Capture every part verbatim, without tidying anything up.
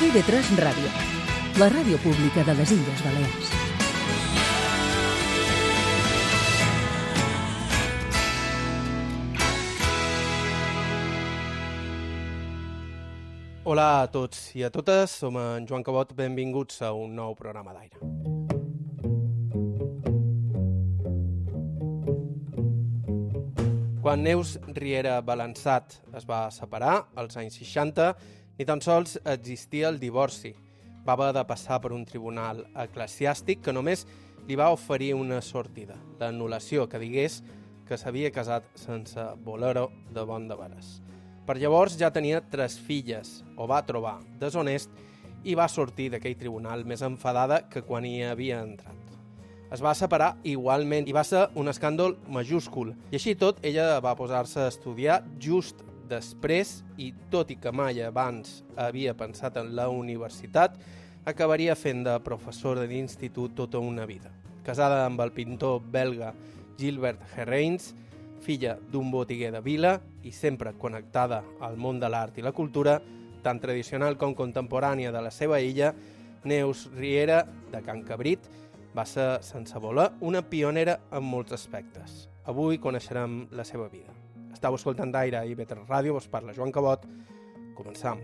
I V tres Ràdio, la ràdio pública de les Illes Balears. Hola a tots i a totes, som en Joan Cabot, benvinguts a un nou programa d'aire. Quan Neus Riera Balançat es va separar, als anys seixanta, ni tan sols existia el divorci. Va haver de passar per un tribunal eclesiàstic que només li va oferir una sortida, l'anul·lació, que digués que s'havia casat sense voler-ho de bon de veres. Per llavors ja tenia tres filles, ho va trobar deshonest i va sortir d'aquell tribunal més enfadada que quan hi havia entrat. Es va separar igualment i va ser un escàndol majúscul. I així tot, ella va posar-se a estudiar just després i, tot i que mai abans havia pensat en la universitat, acabaria fent de professora d'institut tota una vida. Casada amb el pintor belga Gilbert Herreins, filla d'un botiguer de vila i sempre connectada al món de l'art i la cultura, tant tradicional com contemporània de la seva illa, Neus Riera, de Can Cabrit, va ser, sense voler, una pionera en molts aspectes. Avui coneixerem la seva vida. Estau escoltant d'aire a I V tres Ràdio, vos parla Joan Cabot. Començam.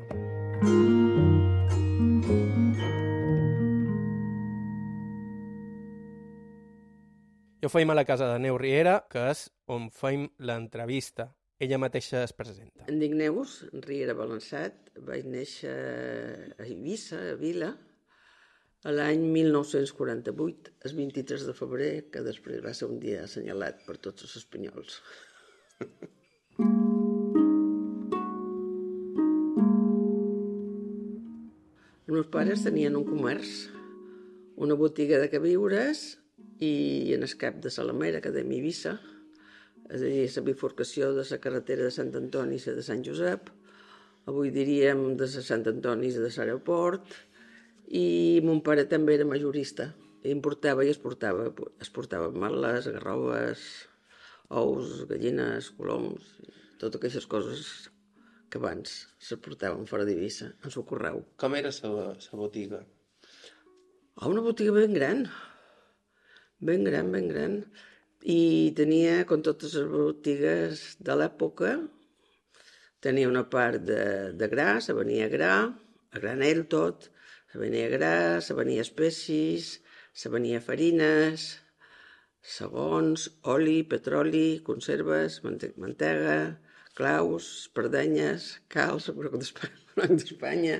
Jo feim a la casa de Neus Riera, que és on feim l'entrevista. Ella mateixa es presenta. Em dic Neus Riera Balançat, vaig néixer a Eivissa, a Vila, a l'any mil nou-cents quaranta-vuit, el vint-i-tres de febrer, que després va ser un dia assenyalat per tots els espanyols. Els meus pares tenien un comerç, una botiga de queviures i en el cap de Salamera, que dèiem Eivissa, és a dir, la bifurcació de la carretera de Sant Antoni i la de Sant Josep, avui diríem de la Sant Antoni i de l'aeroport, i mon pare també era majorista, importava i exportava, exportava ametlles, garroves, ous, gallines, coloms, totes aquestes coses que abans s'exportaven fora d'Eivissa, en el correu. Com era la botiga? Oh, una botiga ben gran, ben gran, ben gran, i tenia, com totes les botigues de l'època, tenia una part de, de gra, se venia gra, a granel tot, se venia gra, se venia espècies, se venia farines, segons, oli, petroli, conserves, mantega, claus, espardenyes, calç, broc d'Espanya,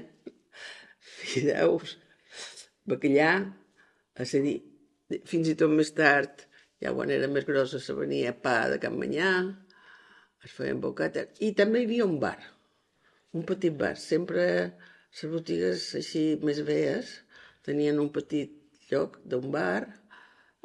fideus, bacallà, és a dir, fins i tot més tard, ja quan era més grossa, se venia pa de Can Manyà, es feien bocates, i també hi havia un bar, un petit bar, sempre les botigues així més veies tenien un petit lloc d'un bar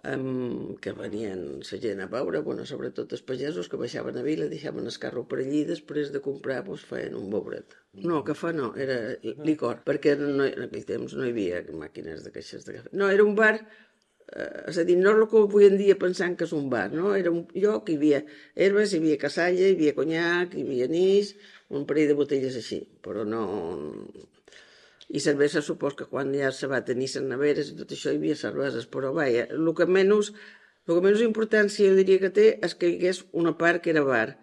um, que venien la gent a veure, bueno, sobretot els pagesos que baixaven a Vila, deixaven el carro per allí, després de comprar doncs, feien un bouret. No, cafè no, era licor, perquè no, en aquell temps no hi havia màquines de caixes de cafè. No, era un bar, eh, és a dir, no el que avui en dia pensant que és un bar, no? Era un lloc, hi havia herbes, hi havia cassalla, hi havia conyac, hi havia anís, un parell de botelles així, però no... I cervesa, supos que quan ja se va tenir les neveres i tot això hi havia cerveses, però vaja, el que menys, el que menys importància jo diria que té és que hi hagués una part que era bar,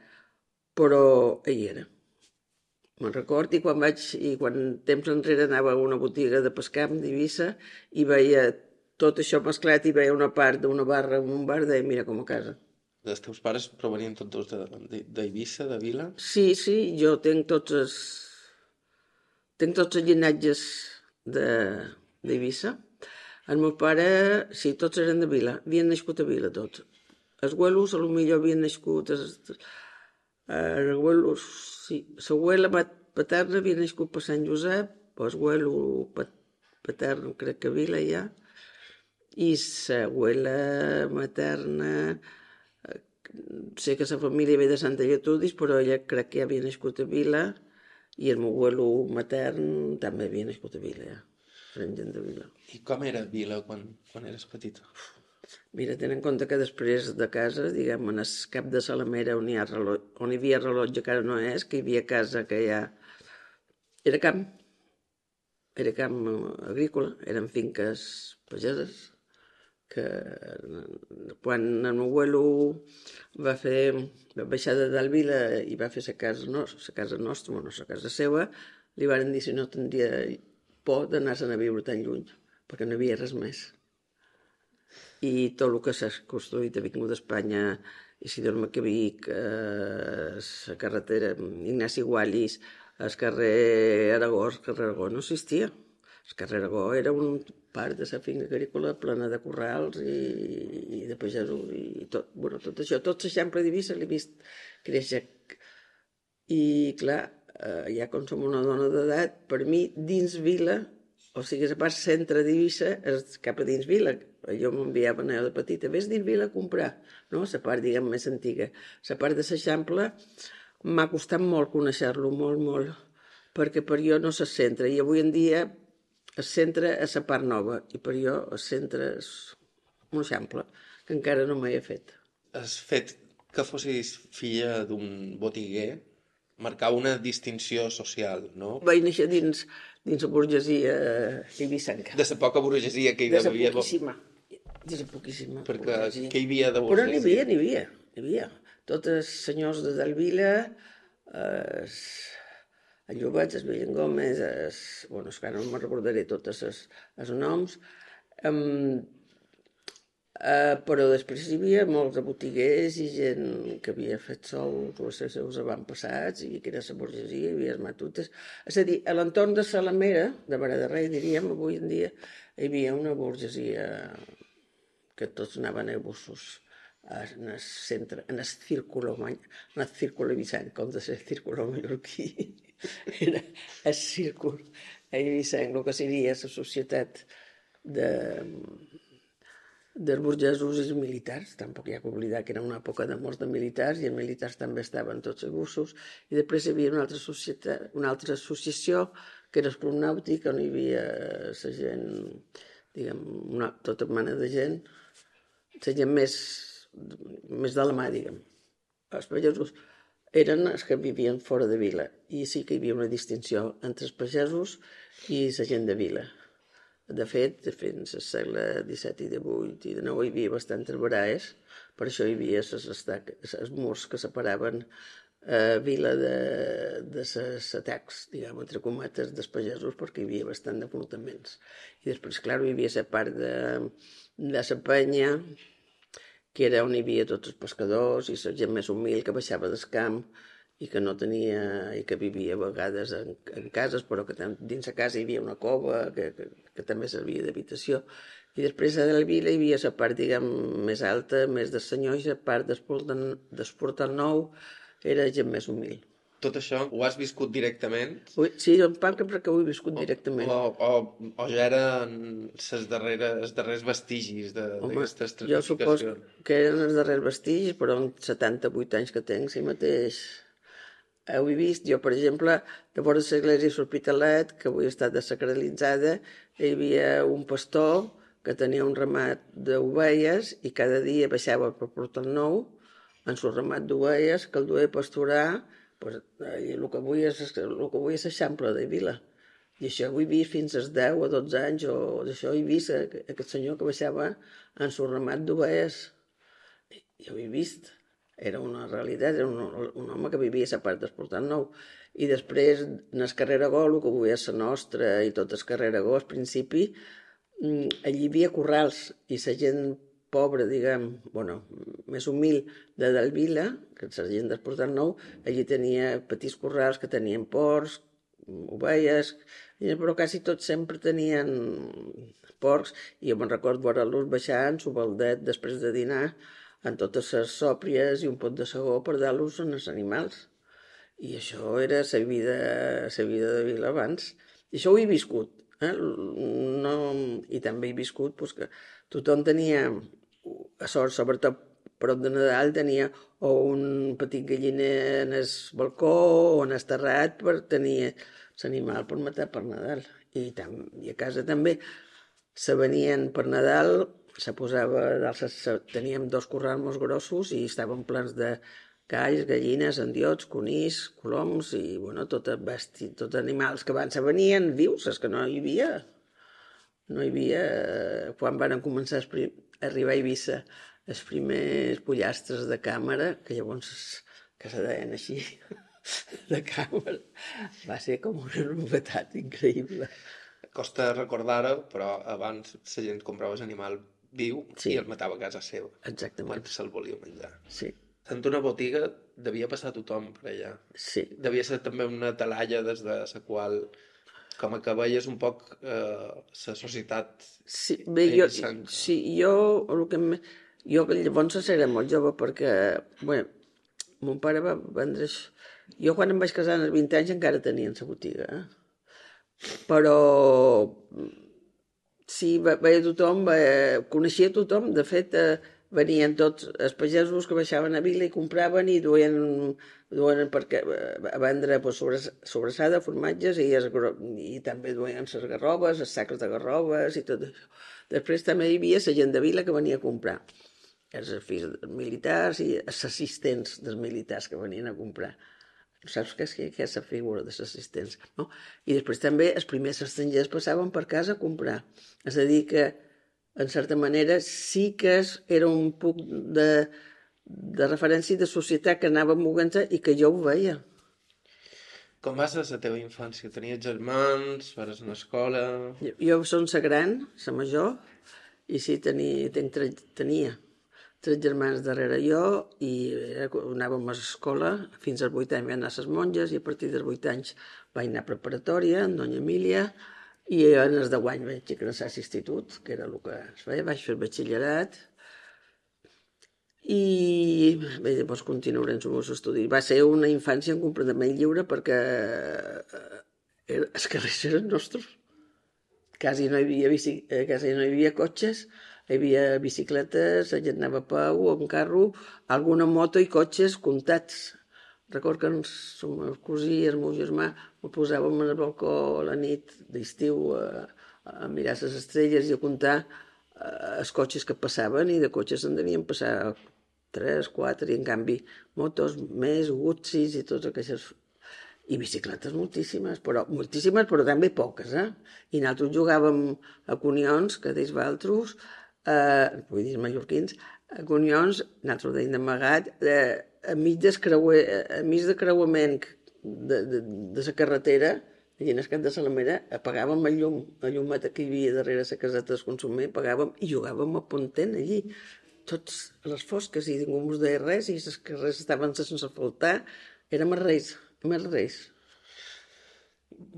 però hi era. Me'n record, i quan vaig, i quan temps enrere anava a una botiga de pescam d'Eivissa i veia tot això mesclat i veia una part d'una barra en un bar, deia, mira, com a casa. Els teus pares provenien tots dos d'Eivissa, de Vila? Sí, sí, jo tenc tots els... Tenc tots els llinatges d'Eivissa. El meu pare, sí, tots eren de Vila, havien nascut a Vila tots. Els abuelos, potser havien nascut... Els abuelos, sí, l'abuela paterna havia nascut per Sant Josep, el abuelo patern crec que a Vila ja, i l'abuela materna... Sé que la família ve de Santa Lletudis, però ella crec que ja havia nascut a Vila, i el meu abuelo matern també havia nascut a Vila, ja. Eren gent de Vila. I com era Vila quan, quan eres petita? Mira, ten en compte que després de casa, diguem, en el cap de Salamera, on hi, ha rellotge, on hi havia rellotge, que ara no és, que hi havia casa que ja... Era camp. era camp agrícola, eren finques pageses, que quan el meu abuelo va fer, va baixar de Dalvila i va fer la casa, no, la casa nostra, bueno, la casa seva, li van dir si no tindria por d'anar-se'n a viure tan lluny, perquè no hi havia res més. I tot el que s'ha construït ha vingut d'Espanya, Isidor Maquiavic, eh, la carretera Ignasi Guallis, el carrer Aragó, el carrer Aragó no existia. El carrer Aragó era un part de la finca agrícola plena de corrals i, i de pagesos i tot, bueno, tot això, tot l'eixample d'Eivissa l'he vist créixer. I clar, eh, ja com som una dona d'edat, per mi dins vila, o sigui, la part centre d'Eivissa és cap a dins vila. Jo m'enviava a de petita, vés dins vila a comprar, no? La part, diguem, més antiga. La part de l'eixample m'ha costat molt conèixer-lo, molt, molt, perquè per jo no se centra. I avui en dia el centre és la part nova, i per jo el centre és un eixample, que encara no m'he fet. El fet que fossis filla d'un botiguer marcava una distinció social, no? Vaig néixer dins, dins la burgesia eivissenca. De la poca burgesia que hi de havia. De la poquíssima. De la poquíssima. Perquè burgesia. què hi havia de burgesia? Però n'hi havia, n'hi havia. N'hi havia. Tots els senyors de Dalvila, es, el Llobet, el Villén Gómez, es, bueno, és que ara no me'n recordaré tots els, els noms, um, Uh, però després hi havia molts de botiguers i gent que havia fet sols o els seus avantpassats i que era la burgesia, hi havia els matutes. És a dir, a l'entorn de Salamera, de Vara de Rei, diríem, avui en dia, hi havia una burgesia que tots anaven a bussos en el centre, en el círculo, en el círculo eivissenc, com de ser círculo mallorquí. Era el círculo eivissenc, el que seria la societat de... dels burgesos i els militars. Tampoc hi ha que oblidar que era una època de molts de militars i els militars també estaven tots a bussos. I després hi havia una altra, societat, una altra associació que era el Club Nàutic, on hi havia la gent, diguem, una, tota mena de gent, la gent més, més de la mà, diguem. Els pagesos eren els que vivien fora de vila i sí que hi havia una distinció entre els pagesos i la gent de vila. De fet, fins al segle disset i divuit i dinou hi havia bastantes baraes, per això hi havia els murs que separaven eh, vila de, de les atacs, diguem, entre cometes, dels pagesos, perquè hi havia bastant d'enfrontaments. I després, clar, hi havia la part de, de la penya, que era on hi havia tots els pescadors i la gent més humil que baixava del camp i que no tenia, i que vivia a vegades en, en cases, però que dins la casa hi havia una cova que, que, que també servia d'habitació. I després a la vila hi havia la part, diguem, més alta, més de senyor, i la part d'Esportal Nou era gent més humil. Tot això ho has viscut directament? Sí, en part perquè ho he viscut directament. O, o, o ja eren els darreres, els darrers vestigis d'aquesta estratificació? Jo suposo que eren els darrers vestigis, però en setanta-vuit anys que tenc, si mateix ho he vist. Jo, per exemple, de vora l'església de l'Hospitalet, que avui està desacralitzada, hi havia un pastor que tenia un ramat d'ovelles i cada dia baixava per Portal Nou en el ramat d'ovelles que el duia a pasturar, pues, el que avui és l'Eixample de Vila. I això ho he vist fins als deu o dotze anys, o d'això he vist aquest senyor que baixava en el ramat d'ovelles. Jo ho he vist. Era una realitat, era un, un home que vivia a la part d'Esportal Nou. I després, en el carrer Aragó, el que avui és la nostra, i tot el carrer Aragó, al principi, allí hi havia corrals, i la gent pobra, diguem, bueno, més humil de Dalvila, que és la gent d'Esportal Nou, allí tenia petits corrals que tenien porcs, ovelles, però quasi tots sempre tenien porcs, i jo me'n recordo veure-los baixar en su baldet després de dinar, en totes les sòpries i un pot de segó per dar-los als animals. I això era la vida, la vida de Vila abans. I això ho he viscut. Eh? No, i també he viscut pues, que tothom tenia, a sort, sobretot prop de Nadal, tenia o un petit galliner en el balcó o en el terrat per tenir l'animal per matar per Nadal. I, tam, i a casa també se venien per Nadal, se posava, teníem dos corrals molt grossos i estaven plens de, galls, gallines, endiots, conills, coloms i, bueno, tot besti, tot animals que abans venien vius, és que no hi havia. No hi havia... Quan van començar a, prim... a arribar a Eivissa els primers pollastres de càmera, que llavors que se deien així, de càmera, va ser com una novetat increïble. Costa recordar-ho, però abans la gent comprava l'animal viu Sí. i el matava a casa seva. Exactament. Quan se'l volia menjar. Sí, En una botiga devia passar tothom per allà. sí. Devia ser també una talalla des de la qual, com que veies un poc eh, la societat. Sí, bé, jo, Eivissenca. sí, jo, el que me, jo llavors era molt jove perquè, bé, mon pare va vendre... això. Jo quan em vaig casar als vint anys encara tenia la botiga, eh? Però sí, ve- veia tothom, ve- coneixia tothom, de fet, eh, venien tots els pagesos que baixaven a Vila i compraven i duien, duien perquè, eh, a vendre pues, sobre, sobrassada, formatges i, es, i també duien les garrobes, els sacs de garrobes i tot això. Després també hi havia la gent de Vila que venia a comprar. Els fills dels militars i els assistents dels militars que venien a comprar. Saps què és, què és la figura dels assistents? No? I després també els primers estrangers passaven per casa a comprar. És a dir que, en certa manera, sí que era un punt de, de referència de societat que anava movent-se i que jo ho veia. Com va ser la teva infància? Tenies germans? Vares a l'escola? Jo, jo som la gran, la major, i sí, tenia, tenc tre, tenia tres germans darrere jo i era, anàvem a l'escola, fins als vuit anys vam anar a les monges i a partir dels vuit anys vaig anar a preparatòria amb Doña Emília i en els deu anys vaig ingressar a l'institut, que era el que es feia, vaig fer batxillerat i bé, llavors continuaré els meus estudis. Va ser una infància completament lliure perquè eh, els carrers eren nostres. Quasi no hi havia, bici, eh, quasi no hi havia cotxes, hi havia bicicletes, la gent anava a peu o en carro, alguna moto i cotxes comptats. Record que el meu cosí i el meu germà ho posàvem al balcó a la nit d'estiu a, a mirar les estrelles i a comptar eh, els cotxes que passaven i de cotxes en devien passar tres, quatre i en canvi motos més, Gutzis i tots aquests... I bicicletes moltíssimes, però moltíssimes, però també poques, eh? I nosaltres jugàvem a conions, que deis vosaltres, eh, vull dir mallorquins, a conions, nosaltres deim d'amagat, eh, a mig d'escreuer, a mig de creuament de, de, de la carretera, allà en el cap de Salamera, apagàvem el llum, la llumeta que hi havia darrere la caseta del consumer, apagàvem i jugàvem a pontent allí. Tots a les fosques i ningú ens deia res i les carrers estaven sense asfaltar, érem els reis. Més res.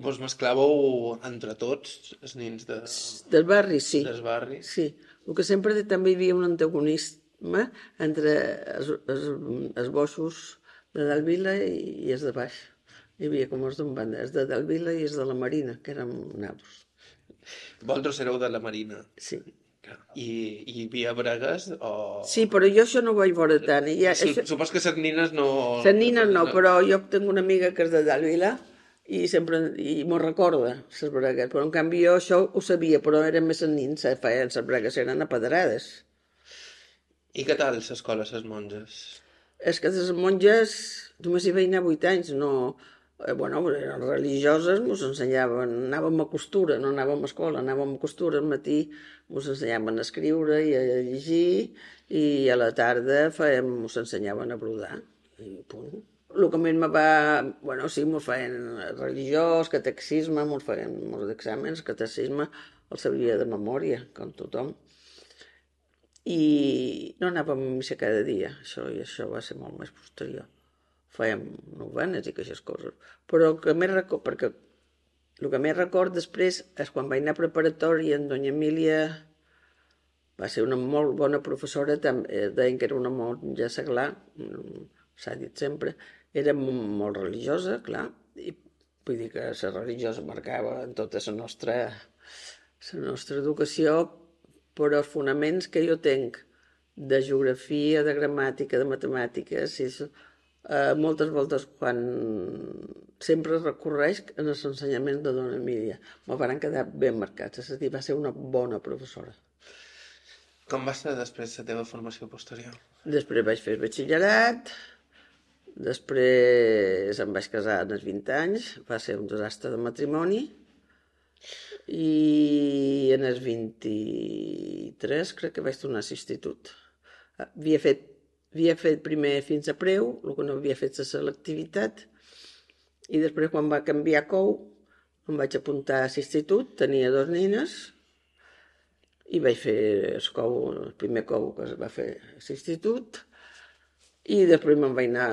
Vos mesclàveu entre tots, els nins de... Del barri, sí. dels barris? Sí. El que sempre també hi havia un antagonisme entre els, els, els boixos de Dalt Vila i, i els de baix. Hi havia com els d'un banda, els de Dalt Vila i els de la Marina, que érem naus. Vosaltres éreu de la Marina. Sí. I, i hi havia bregues o... Sí, però jo això no ho vaig veure tant. I ja, Su això... Supos que les nines no... Les nines no, però jo tinc una amiga que és de Dalt Vila i sempre i m'ho recorda, les bregues. Però en canvi jo això ho sabia, però eren més els nins, feien les bregues, eren apedrades. I què tal l'escola, les monges? És que les monges només hi vaig anar vuit anys, no... Eh, bueno, eren religioses, ens ensenyaven, anàvem a costura, no anàvem a escola, anàvem a costura, al matí ens ensenyaven a escriure i a llegir i a la tarda fèiem, ens ensenyaven a brodar i punt. El que més me va... Bueno, sí, ens feien religiós, catecisme, ens feien molts exàmens, catecisme el sabia de memòria, com tothom. I no anàvem a missa cada dia, això, i això va ser molt més posterior. Fèiem novenes i aquestes coses. Però el que més record, perquè el que més record després és quan vaig anar a preparatòria en Doña Emília va ser una molt bona professora, també, deien que era una monja seglar, s'ha dit sempre, era molt religiosa, clar, i vull dir que la religiosa marcava en tota la nostra, la nostra educació, però els fonaments que jo tenc de geografia, de gramàtica, de matemàtiques, i això, Uh, moltes voltes quan sempre recorreix en els ensenyaments de Dona Emília. Me van quedar ben marcats, és a dir, va ser una bona professora. Com va ser després la teva formació posterior? Després vaig fer batxillerat, Després em vaig casar als vint anys, va ser un desastre de matrimoni, i en els vint-i-tres crec que vaig tornar a l'institut. Havia fet, havia fet primer fins a preu, el que no havia fet la selectivitat, i després quan va canviar cou em vaig apuntar a l'institut, tenia dos nines, i vaig fer el, cou, el primer cou que es va fer a l'institut, i després me'n vaig anar...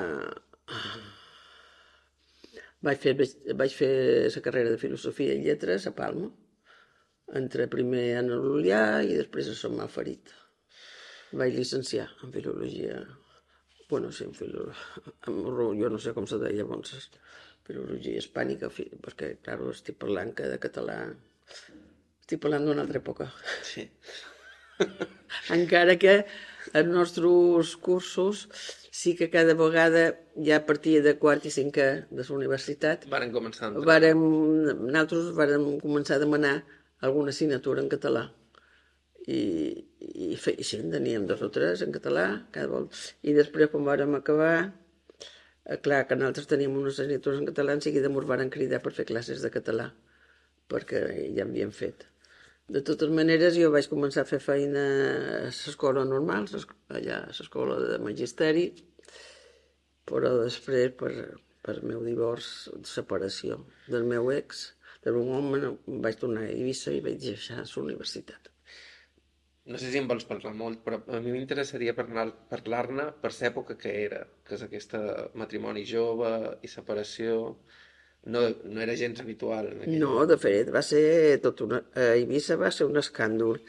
Vaig fer, vaig fer la carrera de Filosofia i Lletres a Palma. Entré primer a l'Ulià i després a Sant Malferit. Vaig llicenciar en Filologia. Bueno, sí, en Filologia. Jo no sé com se deia llavors. Filologia hispànica, perquè, clar, estic parlant que de català... Estic parlant d'una altra època. Sí. Encara que els nostres cursos sí que cada vegada, ja a partir de quart i cinquè de la universitat, Varen començar a entrar. vàrem, nosaltres vàrem començar a demanar alguna assignatura en català. I, i, fe, i sí, en teníem dos o tres en català, cada volta. I després, quan vàrem acabar, eh, clar, que nosaltres teníem unes assignatures en català, en seguida ens varen cridar per fer classes de català, perquè ja en havíem fet. De totes maneres, jo vaig començar a fer feina a l'escola normal, allà a l'escola de magisteri, però després, per, per el meu divorç, separació del meu ex, del meu home, em vaig tornar a Eivissa i vaig deixar la universitat. No sé si en vols parlar molt, però a mi m'interessaria parlar-ne per l'època que era, que és aquesta matrimoni jove i separació... No, no era gens habitual. No, de fet, va ser tot una... A Eivissa va ser un escàndol,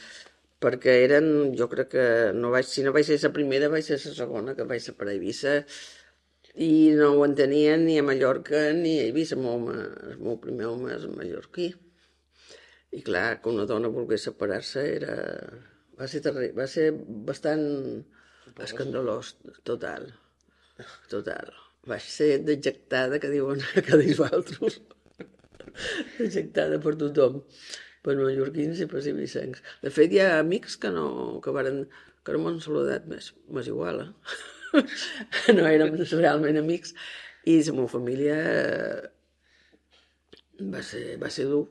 perquè eren, jo crec que no vaig, si no vaig ser la primera, vaig ser la segona que vaig ser per a Eivissa, i no ho entenien ni a Mallorca ni a Eivissa. El meu, home, el meu primer home és mallorquí. I clar, que una dona volgués separar-se era... Va ser, terri... va ser bastant escandalós, total, total. Vaig ser dejectada, que diuen que dius altres, dejectada per tothom, per mallorquins i per eivissencs. De fet, hi ha amics que no, que varen, que no m'han saludat més, m'és igual, eh? No érem realment amics, i la meva família va ser, va ser dur.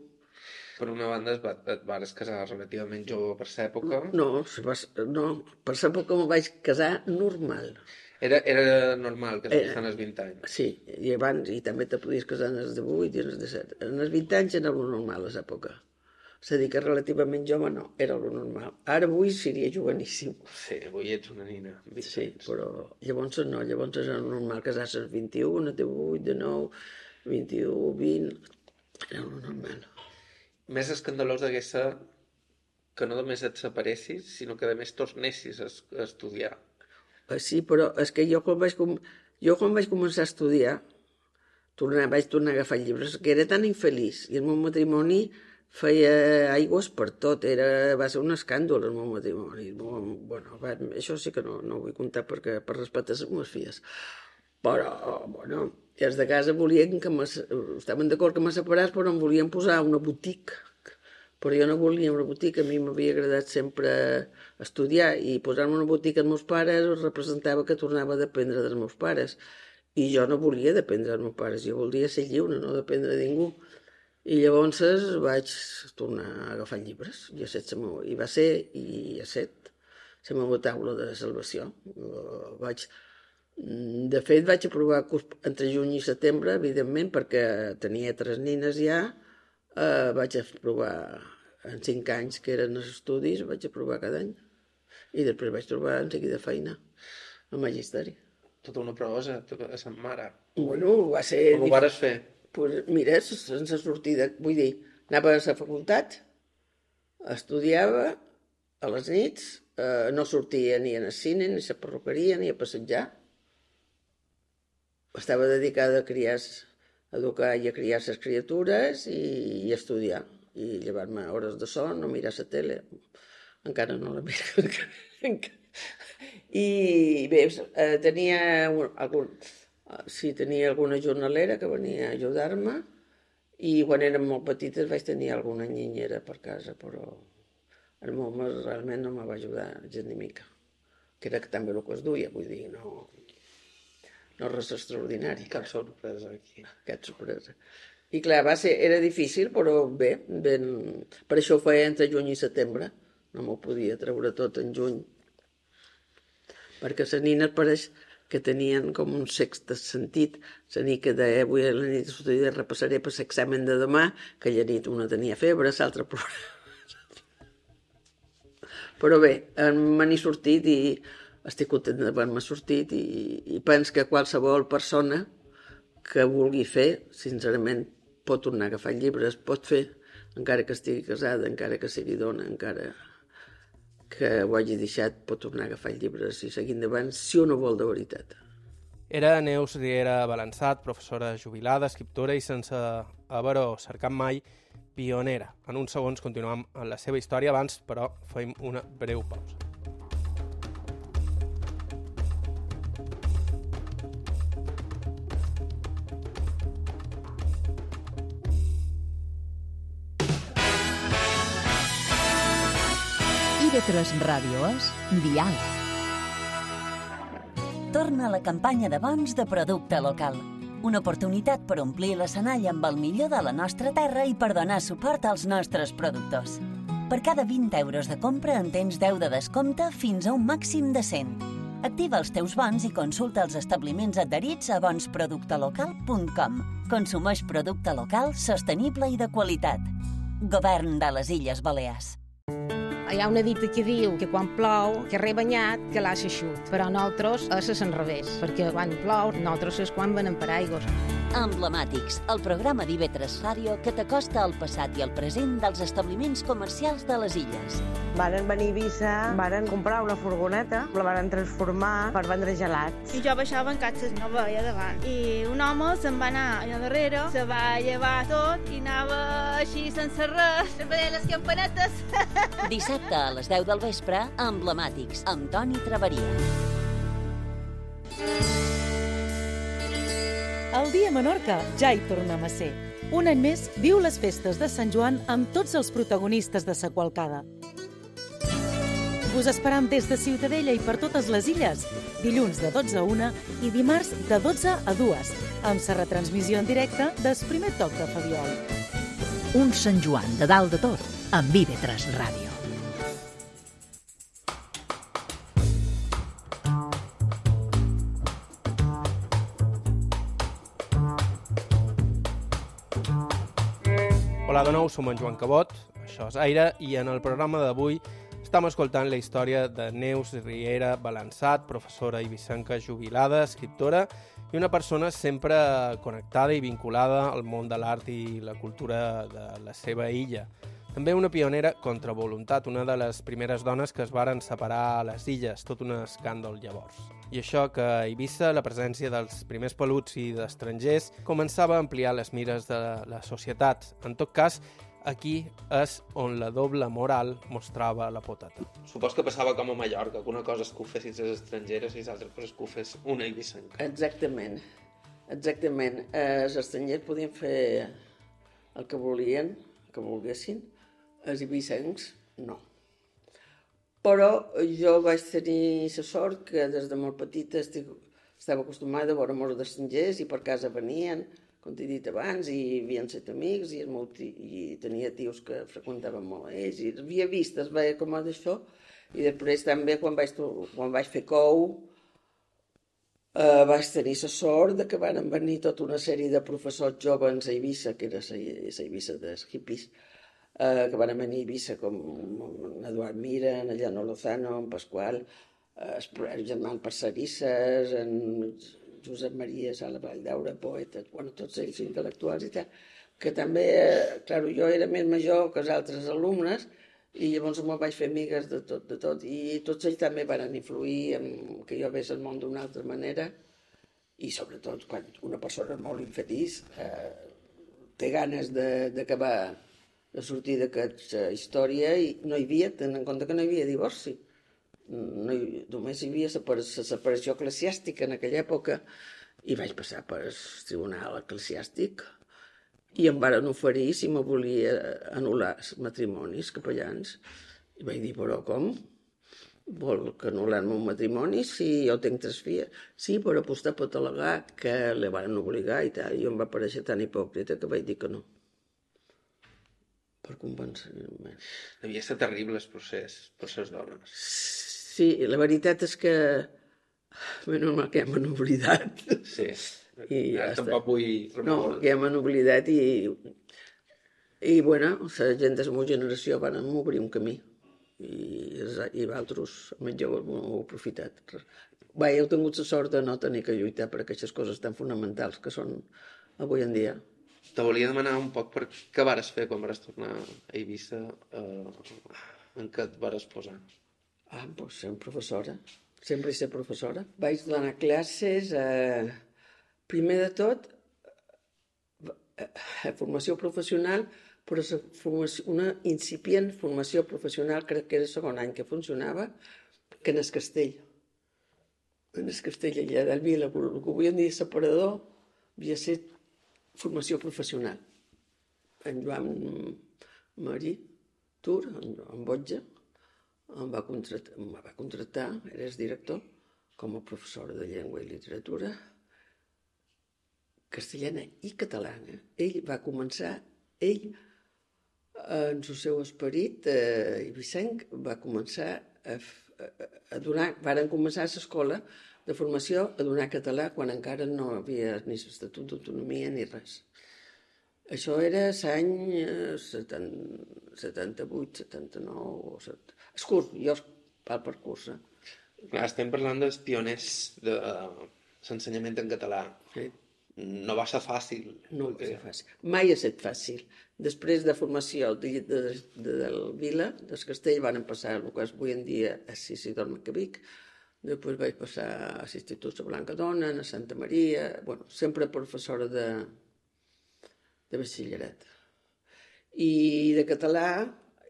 Per una banda, et, va, et vares casar relativament jove per l'època. No, no, per l'època em vaig casar normal. Era, era normal que es fessin als vint anys. Sí, i abans, i també te podies casar en els divuit i en els disset. En els vint anys era el normal a l'època. És a dir, que relativament jove no, era el normal. Ara avui seria joveníssim. Sí, avui ets una nina. Sí, però llavors no, llavors era normal casar-se als vint-i-un, a divuit, de nou, vint-i-u, vint... Era el normal. Més escandalós hagués ser que no només et separessis, sinó que a més tornessis a estudiar. Sí, però és que jo quan vaig, com... jo quan vaig començar a estudiar, tornar, vaig tornar a agafar llibres, que era tan infeliç, i el meu matrimoni feia aigües per tot, era... va ser un escàndol el meu matrimoni. Bueno, va... això sí que no, no ho vull contar perquè per respecte a les meves filles. Però, bueno, els de casa volien que me... estaven d'acord que me separés, però em volien posar una botiga. Però jo no volia una botiga, a mi m'havia agradat sempre estudiar, i posar-me una botiga als meus pares representava que tornava a dependre dels meus pares. I jo no volia dependre dels meus pares, jo volia ser lliure, no dependre de ningú. I llavors vaig tornar a agafar llibres, i, set, i va ser, i a set, la meva taula de salvació. Vaig... De fet, vaig aprovar entre juny i setembre, evidentment, perquè tenia tres nines ja. Uh, vaig aprovar en cinc anys que eren els estudis, vaig aprovar cada any, i després vaig trobar en seguida feina al magisteri. Tota una prosa, a sa mare. Bueno, va ser... Com ho vares fer? Pues mira, sense sortida, vull dir, anava a la facultat, estudiava a les nits, uh, no sortia ni al cine, ni a la perruqueria, ni a passejar. Estava dedicada a criar... educar i a criar les criatures i, i estudiar, i llevar-me hores de son, no mirar la tele, encara no la miro. I bé, tenia algun, sí, tenia alguna jornalera que venia a ajudar-me, i quan érem molt petites vaig tenir alguna niñera per casa, però el meu home realment no me va ajudar gens ni mica, que era també el que es duia, vull dir, no... no res extraordinari. Cap sorpresa aquí. Cap sorpresa. I clar, va ser, era difícil, però bé, ben... per això ho feia entre juny i setembre. No m'ho podia treure tot en juny. Perquè les nines pareix que tenien com un sexte sentit. La nit que deia, avui a la nit de repassaré per l'examen de demà, que la nit una tenia febre, l'altra plorava. Però bé, me n'he sortit i estic content d'haver-me sortit i, i penso que qualsevol persona que vulgui fer, sincerament, pot tornar a agafar llibres, pot fer, encara que estigui casada, encara que sigui dona, encara que ho hagi deixat, pot tornar a agafar llibres i seguir endavant, si uno vol de veritat. Era Neus Riera Balançat, professora jubilada, escriptora i sense haver-ho cercat mai, pionera. En uns segons continuem amb la seva història, abans, però, fem una breu pausa. I V tres Ràdio és Diàleg. Torna la campanya de bons de producte local. Una oportunitat per omplir l'escenari amb el millor de la nostra terra i per donar suport als nostres productors. Per cada vint euros de compra en tens deu de descompte fins a un màxim de cent. Activa els teus bons i consulta els establiments adherits a bons producte local punt com. Consumeix producte local, sostenible i de qualitat. Govern de les Illes Balears. Hi ha una dita que diu que quan plou, que rebanyat, que l'ha eixut. Però nosaltres és a l'enrevés, perquè quan plou, nosaltres és quan venem per aigües. Emblemàtics, el programa d'I V tres Ràdio que t'acosta al passat i al present dels establiments comercials de les illes. Varen venir a Eivissa, varen comprar una furgoneta, la varen transformar per vendre gelats. I jo baixava en catxes, no veia davant. I un home se'n va anar allà darrere, se va llevar tot i anava així sense res, veient les campanetes. Dissabte a les deu del vespre, Emblemàtics, amb Toni Traveria. El dia a Menorca ja hi tornem a ser. Un any més viu les festes de Sant Joan amb tots els protagonistes de sa qualcada. Us esperam des de Ciutadella i per totes les illes, dilluns de dotze a una i dimarts de dotze a dues, amb sa retransmissió en directe del primer toc de Fabiol. Un Sant Joan de dalt de tot, amb I V tres Ràdio. Hola de nou, som en Joan Cabot, això és Aire, i en el programa d'avui estem escoltant la història de Neus Riera Balançat, professora eivissenca jubilada, escriptora i una persona sempre connectada i vinculada al món de l'art i la cultura de la seva illa. També una pionera contra voluntat, una de les primeres dones que es varen separar a les illes, tot un escàndol llavors. I això que a Eivissa la presència dels primers peluts i d'estrangers començava a ampliar les mires de la societat. En tot cas, aquí és on la doble moral mostrava la potata. Supos que passava com a Mallorca, que una cosa és que ho fessin les estrangeres i l'altra cosa és que ho fes una eivissenca. Exactament, exactament. Els estrangers podien fer el que volien, que volguessin, els eivissencs no. Però jo vaig tenir la sort que des de molt petita estic, estava acostumada a veure molts d'estrangers i per casa venien, com t'he dit abans, i havien set amics i, meu tio, i tenia tios que freqüentaven molt a ells i havia vist, es veia com a d'això, i després també quan vaig, quan vaig fer cou eh, vaig tenir la sort de que van venir tota una sèrie de professors joves a Eivissa, que era la Eivissa dels hippies, eh, que van venir a Eivissa com en Eduard Mira, en Llano Lozano, en Pasqual, eh, el germà Parcerisses, en Josep Maria Sala Valldaura, poeta, bueno, tots ells intel·lectuals i tal, que també, eh, clar, jo era més major que els altres alumnes i llavors me'n vaig fer amigues de tot, de tot, i tots ells també van influir en que jo veiés el món d'una altra manera i sobretot quan una persona és molt infeliç eh, té ganes d'acabar, de, de sortir d'aquesta història i no hi havia, tenint en compte que no hi havia divorci. No hi, només hi havia la separació eclesiàstica en aquella època i vaig passar per el tribunal eclesiàstic i em varen oferir si me volia anul·lar els matrimonis capellans i vaig dir, però com? Vol que anul·lar-me un matrimoni si jo tinc tres filles. Sí, per apostar per al·legar que li van obligar i tal. Jo em va aparèixer tan hipòcrita que vaig dir que no. Per convencer-me. Devia ser terrible el procés per les dones. Sí, la veritat és que menys mal que ja m'han oblidat. Sí, I ja tampoc vull remoure. No, que ja m'han oblidat i i bueno, la gent de la meva generació van obrir un camí. I, i altres més joves ho heu aprofitat. Bé, heu tingut la sort de no tenir que lluitar per aquestes coses tan fonamentals que són avui en dia. Te volia demanar un poc per què vares fer quan vares tornar a Eivissa, eh, en què et vares posar? Ah, doncs ser professora. Sempre he ser professora. Vaig donar classes, eh, primer de tot, a formació professional, però una incipient formació professional, crec que era el segon any que funcionava, que en el castell. En el castell allà del Vila, el que avui en dia separador, havia estat formació professional. En Joan Marí Tur, en Botja, em va contractar, em va contractar, era el director, com a professora de llengua i literatura castellana i catalana. Ell va començar, ell, en el seu esperit eh, eivissenc, va començar a, a, a donar, varen començar a l'escola de formació a donar català quan encara no havia ni l'estatut d'autonomia ni res. Això era l'any setanta-vuit, setanta-nou... És curt, jo val per curs. Clar, estem parlant dels pioners de l'ensenyament en català. Sí. No va ser fàcil. No va ser fàcil. Mai ha estat fàcil. Després de formació de, de, de, del Vila, del Castell, van passar el que és avui en dia a Isidor Macavic. Després vaig passar a l'Institut de Blancadona, a Santa Maria... Bueno, sempre professora de, de batxillerat. I de català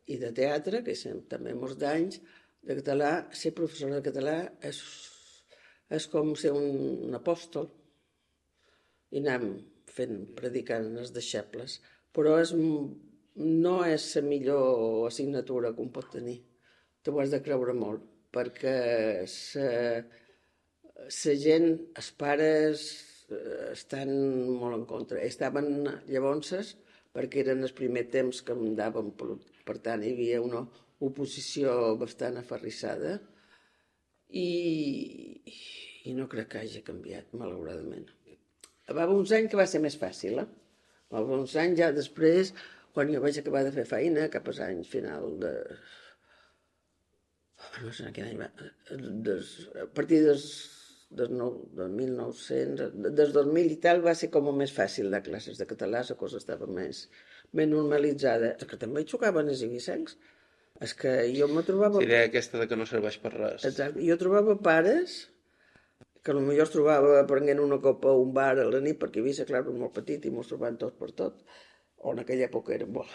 i de teatre, que és també molts d'anys, de català, ser professora de català és, és com ser un, un apòstol. I anem fent, predicant els deixebles, però és, no és la millor assignatura que un pot tenir. T'ho has de creure molt, perquè la gent, els pares, estan molt en contra. Estaven llavors, perquè eren els primers temps que em daven, per tant, hi havia una oposició bastant aferrissada i, i no crec que hagi canviat, malauradament. Va haver uns anys que va ser més fàcil, eh? Va haver uns anys ja després, quan jo vaig acabar de fer feina, cap als anys final de... no sé quin any va... Des... a partir des... des, nou... del mil nou-cents... des dos mil i tal va ser com més fàcil de classes de català, la cosa estava més, més normalitzada. És que també hi xocaven els eivissencs. És que jo me trobava... La idea aquesta de que no serveix per res. Exacte. Jo trobava pares que potser es trobava prenent una copa a un bar a la nit, perquè Eivissa, clar, era molt petit i mos trobàvem tots per tot, o en aquella època era molt,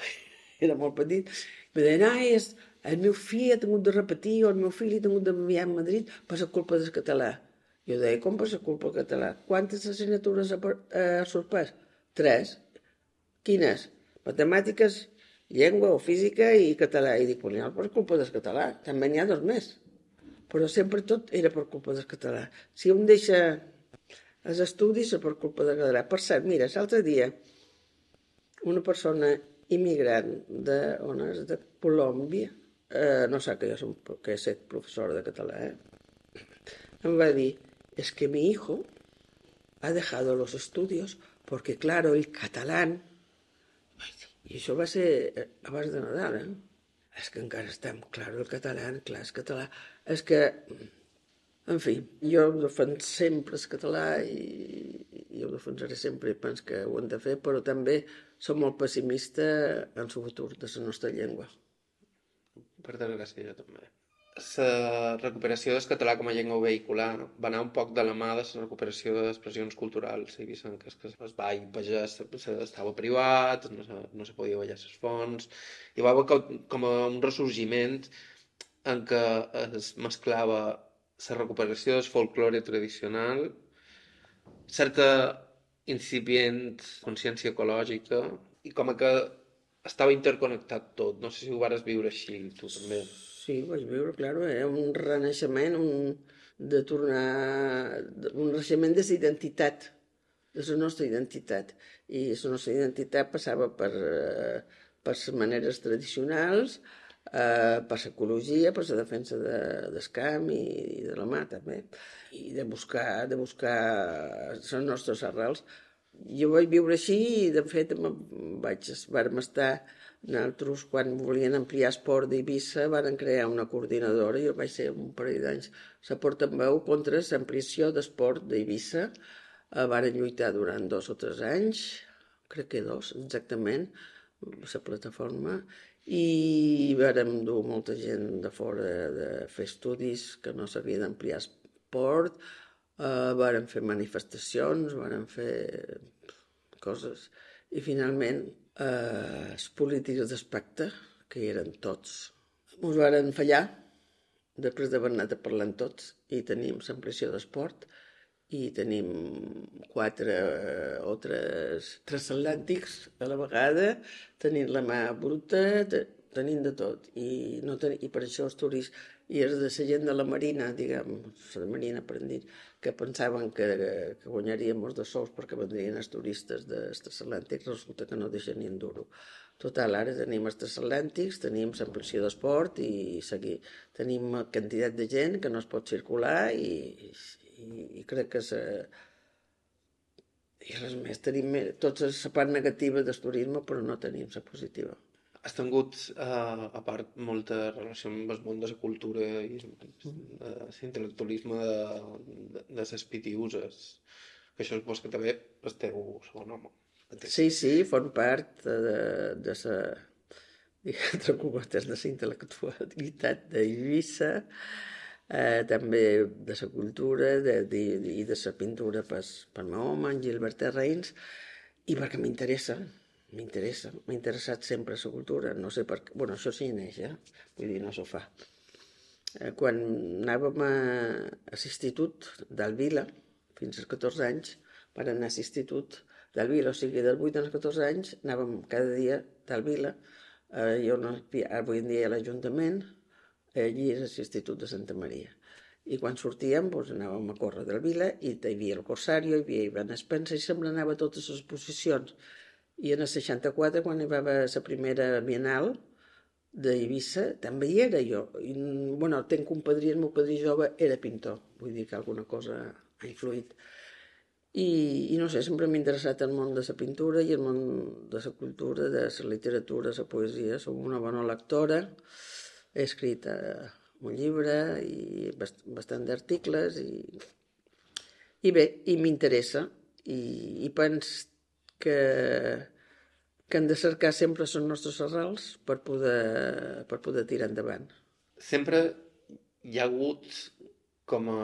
era molt petit. Me deien, ai, el meu fill ha tingut de repetir, o el meu fill ha tingut d'enviar a Madrid per la culpa del català. Jo deia, com per la culpa del català? Quantes assignatures ha sorprès? Tres. Quines? Matemàtiques, llengua o física i català. I dic, pues per culpa del català, també n'hi ha dos més. Però sempre tot era per culpa del català. Si un deixa els estudis és per culpa del català. Per cert, mira, l'altre dia una persona immigrant de, on és, de Colòmbia, eh, no sap que jo som, que he estat professora de català, eh? Em va dir, es que mi hijo ha dejado los estudios porque, claro, el catalán... I això va ser abans de Nadal, eh? És que encara estem, clar, el català, clar, el català... És que, en fi, jo defenso sempre el català i, i ho defensaré sempre i penso que ho hem de fer, però també som molt pessimista en el futur de la nostra llengua. Per desgràcia, jo també. La recuperació del català com a llengua vehicular va anar un poc de la mà de la recuperació d'expressions culturals eivissenques, que el ball pagès estava privat, no se, no se podia ballar les fonts, i va haver com un ressorgiment en què es mesclava la recuperació del folklore tradicional, certa incipient consciència ecològica, i com que estava interconnectat tot. No sé si ho vares viure així, tu també. Sí, vaig viure, clar, era un renaixement, un, de tornar, un renaixement de la identitat, de la nostra identitat. I la nostra identitat passava per, eh, per les maneres tradicionals, eh, per l'ecologia, per la defensa de, del camp i, i de la mà, també. I de buscar, de buscar les nostres arrels. Jo vaig viure així i, de fet, vaig, vam estar... Nosaltres, quan volien ampliar esport d'Eivissa, van crear una coordinadora, jo vaig ser un parell d'anys, la portaveu contra l'ampliació d'esport d'Eivissa. Van lluitar durant dos o tres anys, crec que dos, exactament, la plataforma, i vàrem dur molta gent de fora de fer estudis que no s'havia d'ampliar esport, uh, vàrem fer manifestacions, vàrem fer coses, i finalment Uh, els polítics d'espectre, que hi eren tots, ens varen fallar després d'haver anat parlant tots, i tenim l'ampliació d'esport i tenim quatre uh, o tres transatlàntics a la vegada, tenim la mà bruta, te, tenim de tot, i, no ten, i per això els turistes i els de la gent de la Marina, diguem, la Marina per dir, que pensaven que, que guanyaríem molts de sous perquè vendrien els turistes dels transatlàntics, resulta que no deixen ni un duro. Total, ara tenim els transatlàntics, tenim l'ampliació d'esport i seguir. Tenim quantitat de gent que no es pot circular i, i, i crec que se... I res més, tenim tota la part negativa del turisme, però no tenim la positiva. Has tingut, uh, a part, molta relació amb el món de la cultura i l'intel·lectualisme de, de, de les pitiuses, que això és vos que també el teu segon home. Sí, sí, form part de, de la, entre cometes, de la intel·lectualitat d'Eivissa, eh, també de la cultura de, de, i de la pintura per, per meu home, en Gilbert Terrains, i perquè m'interessa. M'interessa, m'ha interessat sempre la cultura, no sé per què, bueno, això sí neix, eh? Vull dir, no s'ho fa. Eh, quan anàvem a, a l'institut d'Alvila, fins als catorze anys, per anar a l'institut d'Alvila, o sigui, dels vuit als catorze anys, anàvem cada dia d'Alvila, eh, jo no, avui en dia a l'Ajuntament, allí és l'Institut de Santa Maria. I quan sortíem, doncs, anàvem a córrer d'Alvila, i hi havia el Corsario, hi havia Ivan Spencer, i sempre anava a totes les exposicions. I en el seixanta-quatre, quan hi va haver la primera Bienal d'Eivissa, també hi era jo. I, bueno, tenc un padrí, el meu padrí jove era pintor, vull dir que alguna cosa ha influït. I, i no sé, sempre m'ha interessat el món de la pintura i el món de la cultura, de la literatura, la poesia. Soc una bona lectora, he escrit uh, un llibre i bast bastant d'articles i, i bé, i m'interessa i, i penso que, que hem de cercar sempre les nostres arrels per poder, per poder tirar endavant. Sempre hi ha hagut com a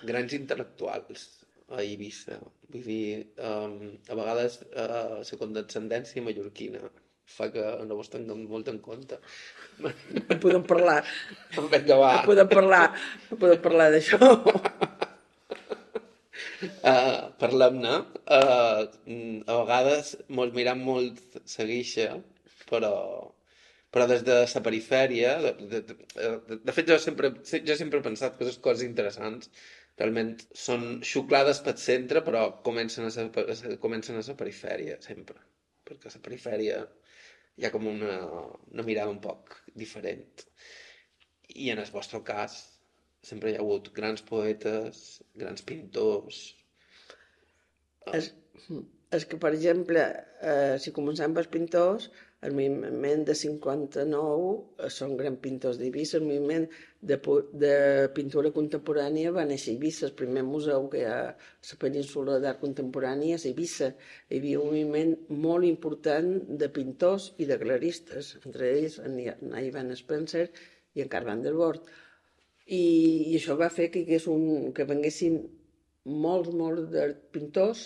grans intel·lectuals a Eivissa. Vull dir, um, a vegades uh, la condescendència mallorquina fa que no vos tinguem molt en compte. No podem parlar. Vinga, va. No podem parlar, no podem parlar d'això. Uh, Parlem-ne. Uh, a vegades mos mirem molt la guixa, però, però des de la perifèria, de, de, de, de, de fet jo sempre, jo sempre he pensat que les coses interessants realment són xuclades pel centre, però comencen a ser, comencen a la perifèria, sempre. Perquè a la perifèria hi ha com una, una mirada un poc diferent. I en el vostre cas sempre hi ha hagut grans poetes, grans pintors. És, és que, per exemple, eh, si començam pels pintors, el moviment de cinquanta-nou eh, són grans pintors d'Eivissa, el moviment de, de pintura contemporània va néixer a Eivissa, el primer museu que hi ha a la península d'art contemporània és a Eivissa. Hi havia un moviment molt important de pintors i de galeristes, entre ells en Ivan Spencer i en Carl van der Voort. I, i això va fer que, un, que venguessin molts, molts de pintors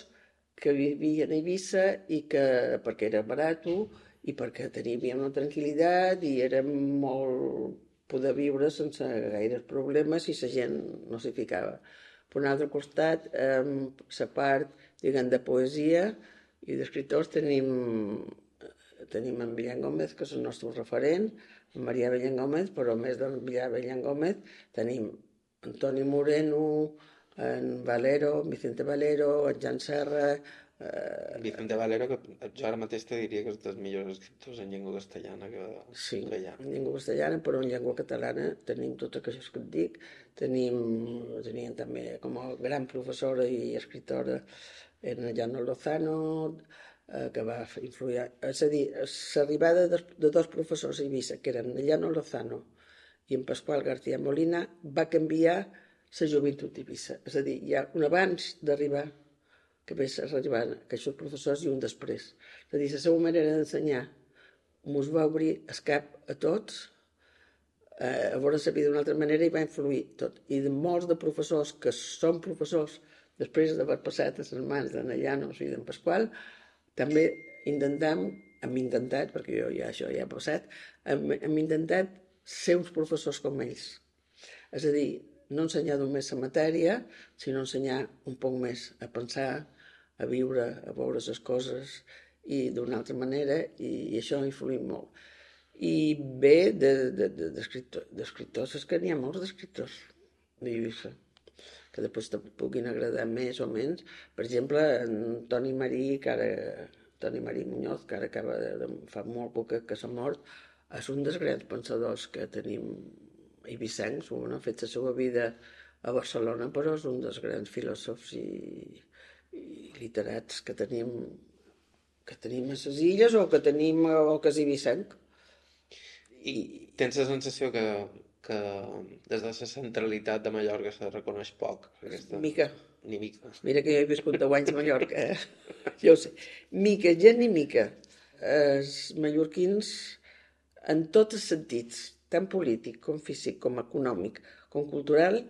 que vivien a Eivissa i que, perquè era barat i perquè teníem una tranquil·litat i era molt poder viure sense gaires problemes i la gent no s'hi ficava. Per un altre costat, la part, diguem, de poesia i d'escriptors tenim tenim en Millán Gómez, que és el nostre referent, en Maria Bellán Gómez, però a més de Maria Bellán Gómez tenim Antoni Moreno, en Valero, en Vicente Valero, en Jan Serra... Eh... Vicente Valero, que jo ara mateix te diria que és dels millors escriptors en llengua castellana que, sí, que hi ha. en llengua castellana, però en llengua catalana tenim tot això que et dic. Tenim, teníem també com a gran professora i escriptora en Llano Lozano, eh, que va influir... És a dir, l'arribada de, de dos professors a Eivissa, que eren Llano Lozano i en Pasqual García Molina, va canviar la joventut d'Eivissa. És a dir, hi ha un abans d'arribar que ve arribant aquests professors i un després. És a dir, la seva manera d'ensenyar ens va obrir el cap a tots, eh, a veure la vida d'una altra manera i va influir tot. I de molts de professors que són professors després d'haver passat a les mans d'en Llanos i d'en Pasqual, també intentem, hem intentat, perquè jo ja això ja ha passat, hem, hem intentat ser uns professors com ells. És a dir, no ensenyar només la matèria, sinó ensenyar un poc més a pensar, a viure, a veure les coses i d'una altra manera, i, i això ha influït molt. I bé, d'escriptors, és que n'hi ha molts d'escriptors d'Eivissa, que després te puguin agradar més o menys. Per exemple, en Toni Marí, que ara, Toni Marí Muñoz, que ara acaba de, fa molt poc que s'ha mort, és un dels grans pensadors que tenim eivissencs, on ha fet la seva vida a Barcelona, però és un dels grans filòsofs i, i literats que tenim, que tenim a les illes o que tenim o que és eivissenc. I tens la sensació que, que des de la centralitat de Mallorca se reconeix poc? Aquesta... Mica. Ni mica. Mira que jo he viscut deu anys a Mallorca, eh? Jo ho sé. Mica, gent ni mica. Els mallorquins, en tots els sentits, tant polític com físic, com econòmic, com cultural,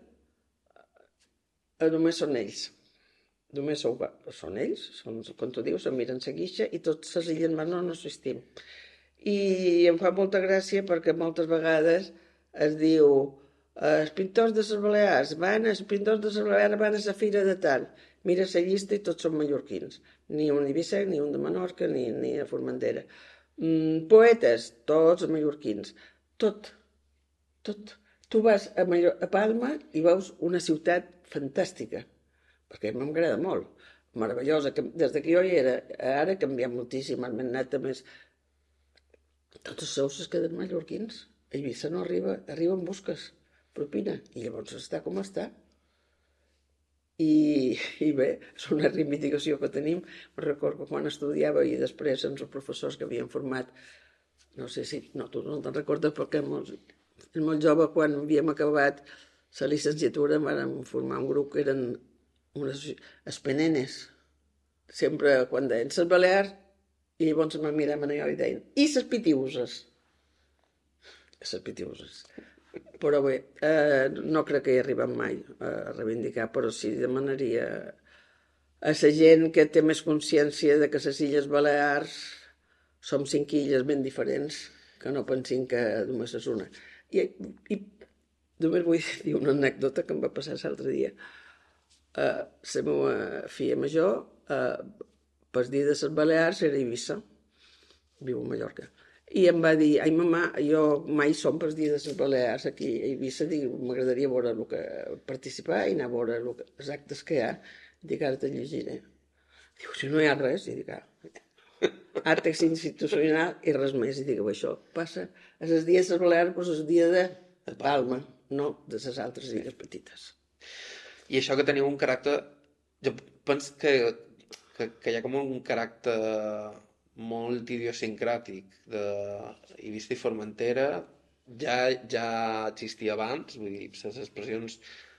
només són ells. Només són ells, són, com tu dius, se'n miren la guixa i tots les illes més no, no assistim. I em fa molta gràcia perquè moltes vegades es diu els pintors de les Balears van, els pintors de les Balears van a la fira de tal. Mira la llista i tots són mallorquins. Ni un d'Eivissa, ni un de Menorca, ni, ni a Formentera. Mm, poetes, tots mallorquins. Tot, tot. Tu vas a, Mallor a Palma i veus una ciutat fantàstica, perquè m'agrada molt, meravellosa. Des que jo hi era, ara ha canviat moltíssim, han anat a més... Tots els sous es queden mallorquins. A Eivissa no arriba, arriba en busques, propina, i llavors està com està. I, i bé, és una reivindicació que tenim. Me'n recordo quan estudiava i després amb els professors que havien format, no sé si, no, tu no te'n recordes perquè molt, molt jove, quan havíem acabat la llicenciatura, vam formar un grup que eren unes espenenes. Sempre quan deien les Balears, i llavors em miraven a jo i deien, i les pitiuses? Les pitiuses. Però bé, eh, no crec que hi arribem mai a reivindicar, però sí demanaria a la gent que té més consciència de que les Illes Balears som cinc illes ben diferents, que no pensin que només és una. I, i només vull dir una anècdota que em va passar l'altre dia. Uh, la meva filla major, uh, per dir de les Balears, era a Eivissa, viu a Mallorca. I em va dir, ai mamà, jo mai som per dir de les Balears aquí a Eivissa, m'agradaria veure el que participar i anar a veure que, els actes que hi ha. Dic, ara te llegiré. Diu, si no hi ha res, i dic, ah, àrtex institucional i res més. I dic, això passa a les dies de les Balears, però és el dia de Palma, no de les altres illes petites. I això que teniu un caràcter, jo penso que, que, que hi ha com un caràcter molt idiosincràtic d'Eivissa i Formentera, ja, ja existia abans, vull dir, les expressions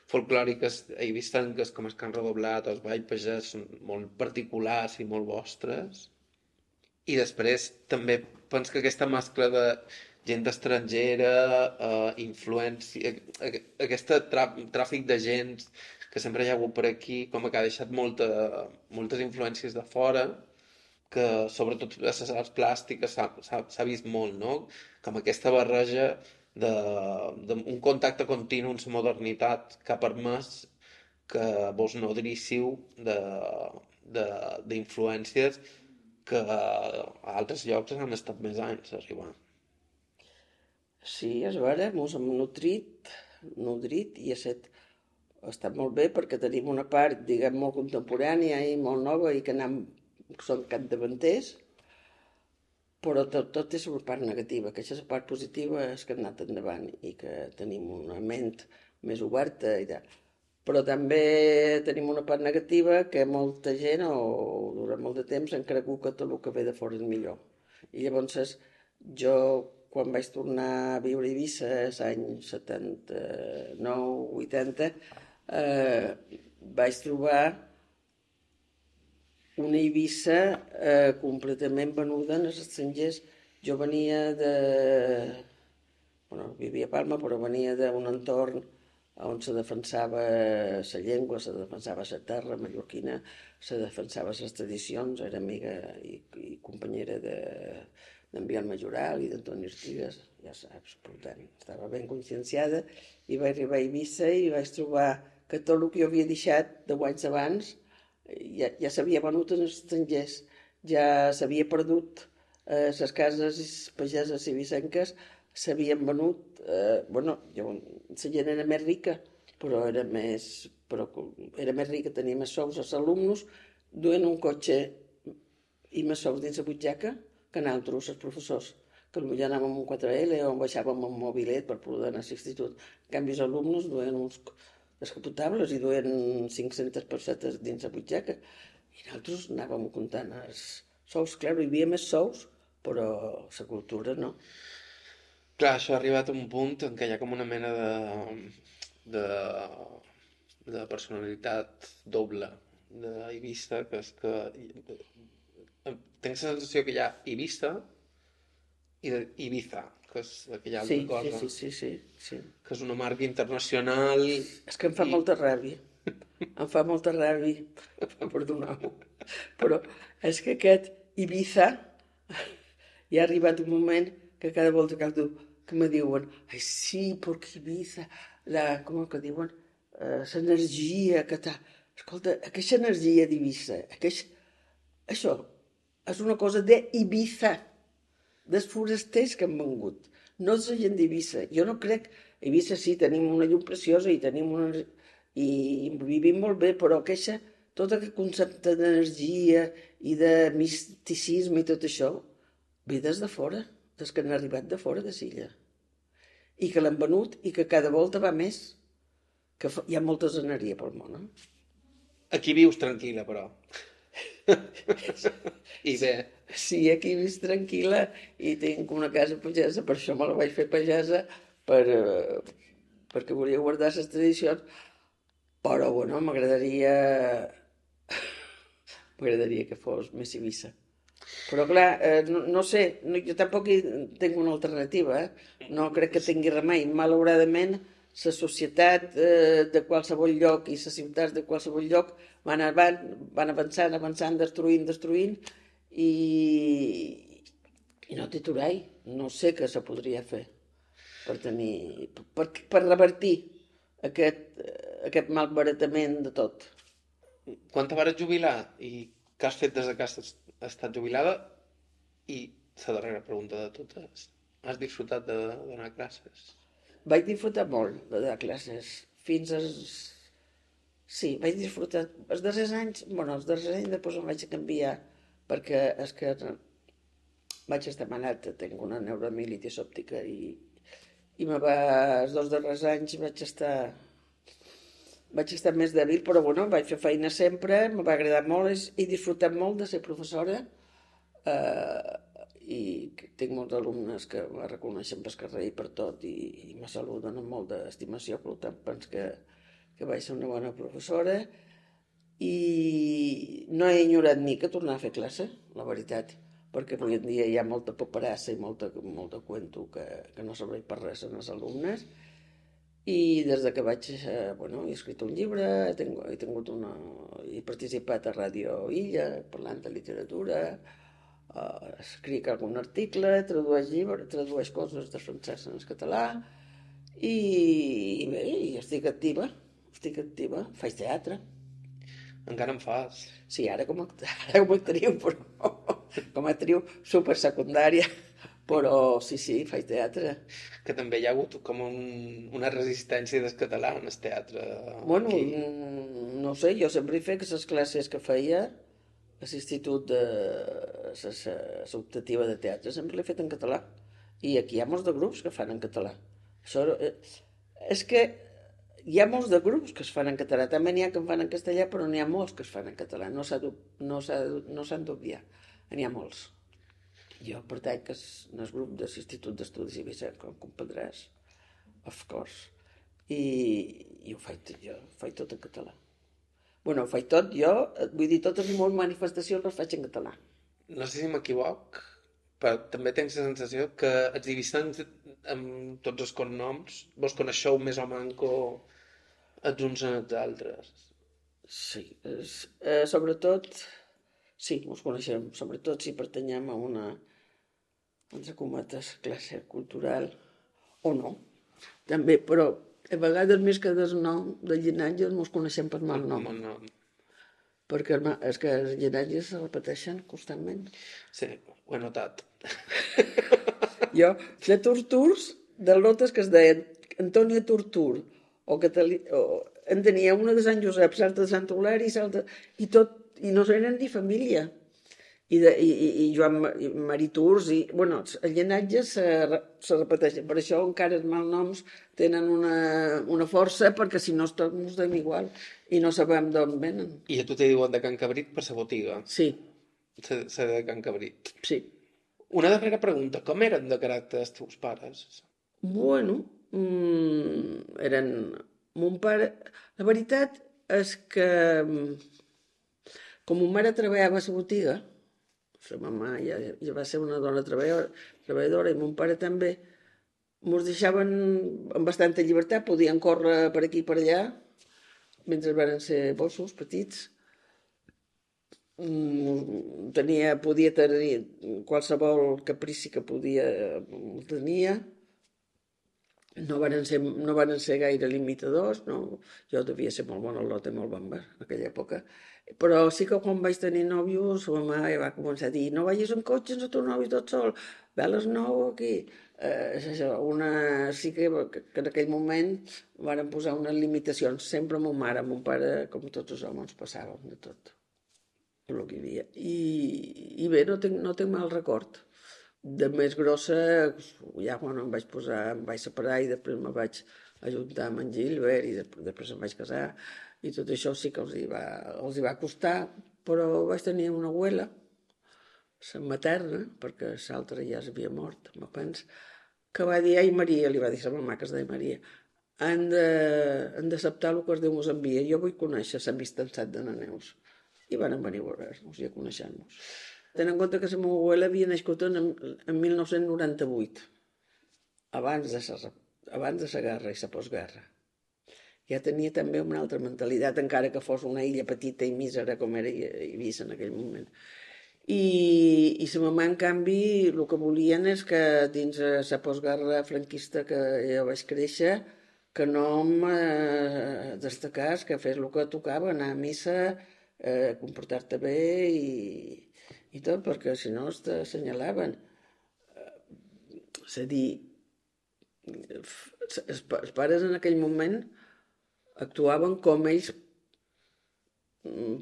folclòriques eivissenques com el cant redoblat o els ball pagès són molt particulars i molt vostres, i després també penso que aquesta mescla de gent estrangera, eh, influència, aquest tràfic de gent que sempre hi ha hagut per aquí, com que ha deixat molta, moltes influències de fora, que sobretot a les arts plàstiques s'ha vist molt, no? Com aquesta barreja d'un contacte continu amb la modernitat que ha permès que vos nodríssiu d'influències que a altres llocs han estat més anys a arribar. Sí, és vera, mos hem nutrit, nutrit i ha estat, ha estat molt bé perquè tenim una part, diguem, molt contemporània i molt nova i que anem, són capdavanters, però tot, tot és una part negativa, que aquesta part positiva és que hem anat endavant i que tenim una ment més oberta i tal. Però també tenim una part negativa que molta gent, o durant molt de temps, han cregut que tot el que ve de fora és millor. I llavors jo, quan vaig tornar a viure a Eivissa, l'any setanta-nou vuitanta, eh, vaig trobar una Eivissa eh, completament venuda en els estrangers. Jo venia de... Bueno, vivia a Palma, però venia d'un entorn on se defensava la llengua, se defensava la terra mallorquina, se defensava les tradicions, era amiga i, i companyera d'en Biel Majoral i d'Antoni Artigas, ja saps, per tant, estava ben conscienciada, i vaig arribar a Eivissa i vaig trobar que tot el que jo havia deixat deu anys abans ja, ja s'havia venut als estrangers, ja s'havia perdut, eh, les cases pageses eivissenques s'havien venut, eh, bueno, jo, la gent era més rica, però era més, però era més rica, tenia més sous als alumnes, duien un cotxe i més sous dins la butxaca que nosaltres, els professors, que potser anàvem amb un quatre L o baixàvem amb un mobilet per poder anar a l'institut. En canvi, els alumnes duien uns descapotables i duien cinc-centes pessetes dins la butxaca i nosaltres anàvem comptant els sous. Clar, hi havia més sous, però la cultura no. Clar, això ha arribat a un punt en què hi ha com una mena de, de, de personalitat doble d'Eivissa, que és que tinc la sensació que hi ha Eivissa i Ibiza, que és aquella altra sí, cosa, sí, sí, sí, sí. que és una marca internacional. És que em fa i... molta ràbia, em fa molta ràbia, perdoneu, però és que aquest Ibiza hi ha arribat un moment que cada volta que, que me diuen ai sí, perquè Eivissa, la, com que diuen, uh, l'energia que t'ha... Escolta, aquesta energia d'Eivissa, aquest... això és una cosa d'Eivissa, dels forasters que han vengut, no és la gent d'Eivissa. Jo no crec... A Eivissa sí, tenim una llum preciosa i tenim una... i vivim molt bé, però aquesta, tot aquest concepte d'energia i de misticisme i tot això, ve des de fora, des que han arribat de fora de l'illa. I que l'han venut i que cada volta va més. Que hi ha molta zeneria pel món, eh? Aquí vius tranquil·la, però. I bé. Sí, aquí vis tranquil·la i tinc una casa pagesa, per això me la vaig fer pagesa, per, perquè volia guardar les tradicions, però, bueno, m'agradaria... m'agradaria que fos més Eivissa. Però, clar, eh, no, no sé, no, jo tampoc hi tinc una alternativa, eh? No crec que tingui remei. Malauradament, la societat eh, de qualsevol lloc i les ciutats de qualsevol lloc van, avant, van avançant, avançant, destruint, destruint, i, i no té aturall. No sé què se podria fer per tenir... per, per revertir aquest, aquest malbaratament de tot. Quan te vas jubilar i què has fet des que has estat jubilada? I la darrera pregunta de totes. Has disfrutat de donar classes? Vaig disfrutar molt de donar classes. Fins als... Sí, vaig disfrutar... Els darrers anys... Bueno, els darrers anys després em vaig canviar perquè és que vaig estar malat, tinc una neuromielitis òptica i, i me va... Els dos darrers anys vaig estar... Vaig estar més dèbil, però bueno, vaig fer feina sempre, me va agradar molt, he disfrutat molt de ser professora eh, i tinc molts alumnes que me reconeixen pel carrer i per tot i, i me saluden amb molta estimació, per tant penso que, que vaig ser una bona professora i no he enyorat ni que tornar a fer classe, la veritat, perquè avui en dia hi ha molta paperassa i molta, molta cuento que, que no serveix per res en els alumnes. I des que vaig, eh, bueno, he escrit un llibre, he tingut, he tingut una... he participat a Ràdio Illa, parlant de literatura, eh, escric algun article, tradueix llibres, tradueix coses de francès en el català, i, i bé, i estic activa, estic activa, faig teatre. Encara en fas? Sí, ara com a, ara com a actriu, però com a actriu supersecundària, però sí, sí, faig teatre. Que també hi ha hagut com un, una resistència del català en el teatre. Bueno, aquí. no sé, jo sempre he fet les classes que feia a l'institut de l'optativa de teatre, sempre l'he fet en català. I aquí hi ha molts de grups que fan en català. Això, eh, és que hi ha molts de grups que es fan en català. També n'hi ha que en fan en castellà, però n'hi ha molts que es fan en català. No s'han no no d'obviar. N'hi ha molts. Jo pertany que és el grup de l'Institut d'Estudis Eivissa, com comprendràs, of course. I, i ho faig tot jo, ho faig tot en català. Bueno, ho faig tot jo, vull dir, totes les meves manifestacions les faig en català. No sé si m'equivoc, però també tens la sensació que els divisants amb tots els cognoms vos coneixeu més o manco els uns als altres. Sí, és, eh, sobretot, sí, ens coneixem, sobretot si pertanyem a una, entre cometes, classe cultural, o no, també, però a vegades més que del nom, del llinatge, ens coneixem per mal nom. Mal nom. Perquè és que els llinatges se repeteixen constantment. Sí, ho he notat. Jo, de Torturs, de lotes que es deien Antònia Tortur, o, Catalí, o en tenia una de Sant Josep, l'altra de Sant Eulàri, i tot, i no eren ni família. I, de, i, i Joan i Mariturs, i, bueno, el llinatge se, se repeteix. Per això encara els malnoms tenen una, una força, perquè si no tots ens dem igual i no sabem d'on venen. I a tu te diuen de Can Cabrit per la botiga? Sí. Se de Can Cabrit? Sí. Una darrera pregunta, com eren de caràcter els teus pares? Bueno, mmm, eren... Mon pare... La veritat és que com mon mare treballava a la botiga, la mama ja, ja va ser una dona treballadora, treballadora i mon pare també, ens deixaven amb bastanta llibertat, podien córrer per aquí i per allà, mentre van ser bossos petits. Tenia, podia tenir qualsevol caprici que podia, el tenia. No van ser, no van ser gaire limitadors, no. Jo devia ser molt bona al lot i molt bamba en aquella època. Però sí que quan vaig tenir nòvios, la mama ja va començar a dir no vagis en cotxe amb el teu nòvio tot sol, ve a les nou aquí. Eh, una, sí que, que en aquell moment van posar unes limitacions. Sempre mon mare, mon pare, com tots els homes, passàvem de tot el que hi havia. I, i bé, no tinc, no tinc mal record. De més grossa, ja quan em vaig posar, em vaig separar i després me vaig ajuntar amb en Gilbert i després, després em vaig casar i tot això sí que els hi va, els hi va costar, però vaig tenir una abuela, la materna, perquè l'altra ja s'havia mort, me penso, que va dir, ai Maria, li va dir la mamà que es deia Maria, han d'acceptar el que es Déu ens envia, jo vull conèixer l'amistat de na Neus. I van venir a veure-nos i a conèixer-nos. Ten en compte que la meva abuela havia nascut en, en mil nou-cents noranta-vuit, abans de la, abans de la guerra i la postguerra. Ja tenia també una altra mentalitat, encara que fos una illa petita i mísera com era Eivissa en aquell moment. I, i la mamà, en canvi, el que volien és que dins la postguerra franquista que jo vaig créixer, que no em destacàs, que fes el que tocava, anar a missa, eh, comportar-te bé i... i tot, perquè si no t'assenyalaven. És a dir, els pares en aquell moment actuaven com ells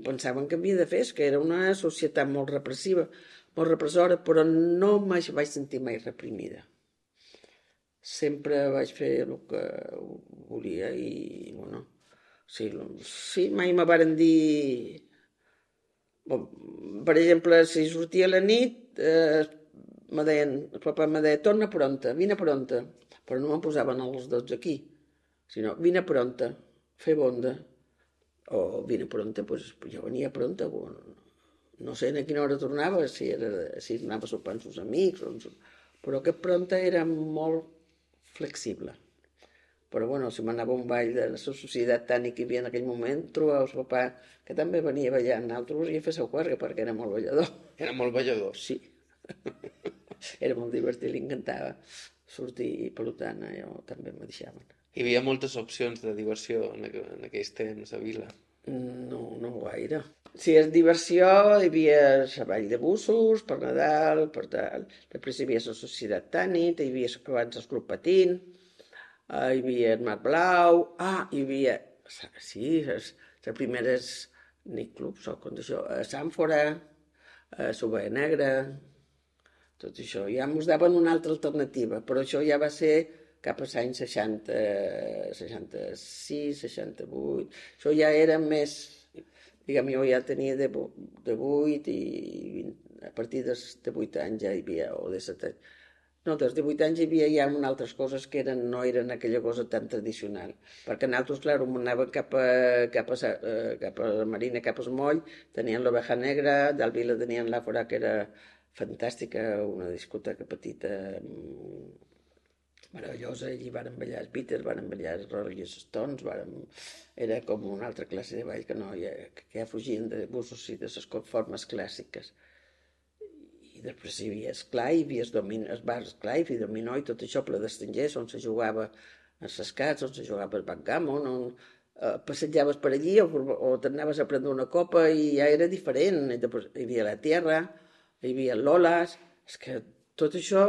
pensaven que havia de fer, que era una societat molt repressiva, molt repressora, però no mai vaig sentir mai reprimida. Sempre vaig fer el que volia i, bueno, sí, sí mai me varen dir... Per exemple, si sortia a la nit, eh, me deien, el papa me deia, torna pronta, vine pronta, però no me'n posaven als dotze aquí, sinó, vine pronta, fer bonda, o vine pronta, doncs jo venia pronta, no sé a quina hora tornava, si, era, si anava a sopar amb els amics, però aquest pronta era molt flexible. Però, bueno, si m'anava a un ball de la societat tànica que hi havia en aquell moment, trobava el papà, que també venia ballant, nosaltres i a fer seu cuerga, perquè era molt ballador. Era molt ballador? Sí. Era molt divertit, li encantava sortir i, per tant, jo també me deixaven. Hi havia moltes opcions de diversió en, aqu en aquells temps a Vila? No, no gaire. Si és diversió, hi havia la ball de bussos, per Nadal, per tal. Després hi havia la Societat Tànit, hi havia abans el Club Patín, hi havia el Mar Blau, ah, hi havia, sí, les, les primeres nightclubs, o com això, a Sàmfora, a Subè Negra, tot això. Ja ens daven una altra alternativa, però això ja va ser cap als anys seixanta, seixanta-sis, seixanta-vuit. Això ja era més, diguem, jo ja tenia de vuit i a partir de vuit anys ja hi havia, o de set anys. No, des de vuit anys hi havia ja altres coses que eren, no eren aquella cosa tan tradicional. Perquè nosaltres, clar, anàvem cap a, cap a, cap a la Marina, cap al Moll, tenien l'Oveja Negra, d'Al Vila tenien l'Àfora, que era fantàstica, una discoteca petita, meravellosa, allí varen ballar els Beatles, varen ballar els Rolling Stones, varen... era com una altra classe de ball que, no, ja, que ja fugien de busos i de les formes clàssiques. I després hi havia Esclar, hi havia els bars Esclar i Dominó i tot això ple d'estrangers, on se jugava els escats, on se jugava el backgammon, on eh, passejaves per allí o, o t'anaves a prendre una copa i ja era diferent. I després hi havia la Tierra, hi havia Lolas, és que tot això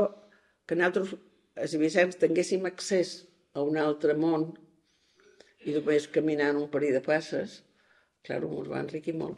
que nosaltres, els ibicencs, tinguéssim accés a un altre món i només caminant un parell de passes, clar, ens va enriquir molt.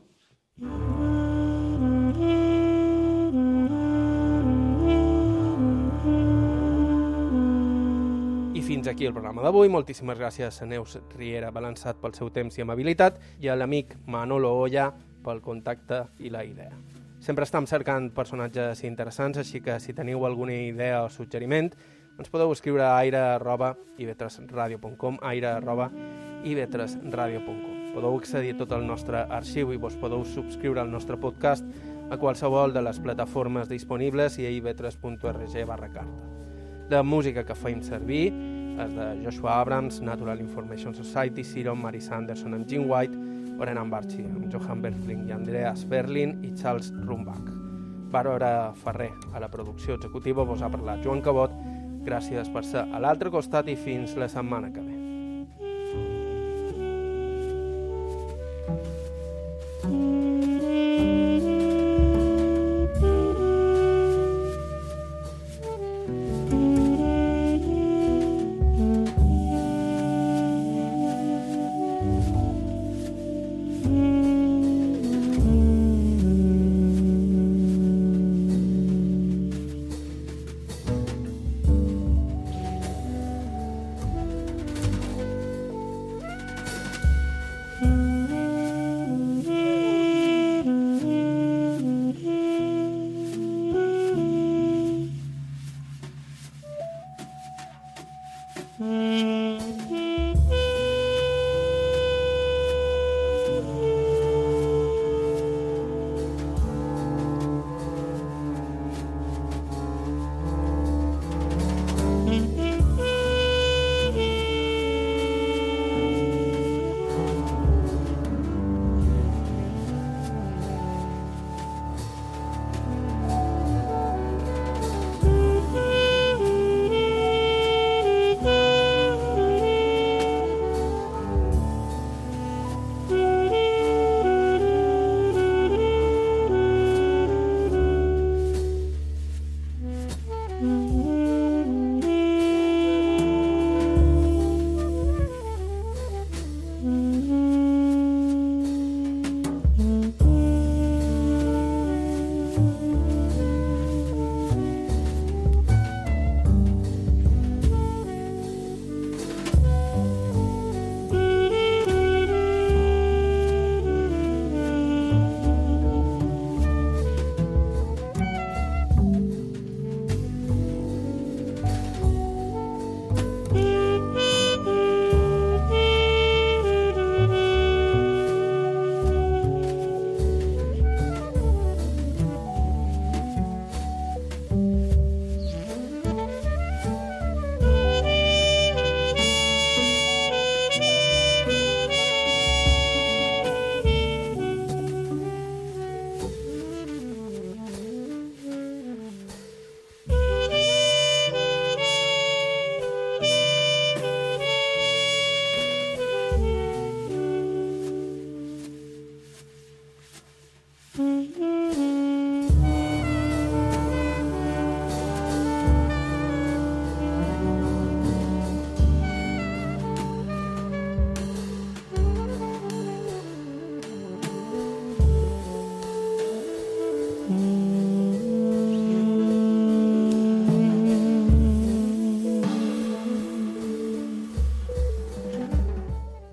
I fins aquí el programa d'avui. Moltíssimes gràcies a Neus Riera Balançat pel seu temps i amabilitat i a l'amic Manolo Olla pel contacte i la idea. Sempre estem cercant personatges interessants, així que si teniu alguna idea o suggeriment, ens podeu escriure a aire arroba i ve tres radio punt com, aire arroba i ve tres radio punt com. Podeu accedir a tot el nostre arxiu i vos podeu subscriure al nostre podcast a qualsevol de les plataformes disponibles i a i ve tres punt org barra carta. La música que feim servir és de Joshua Abrams, Natural Information Society, Siron, Mary Sanderson amb Jim White, Orenan Barchi amb Johan Berfling i Andreas Berlin i Charles Rumbach. Bàrbara Ferrer a la producció executiva, vos ha parlat Joan Cabot. Gràcies per ser a l'altre costat i fins la setmana que ve.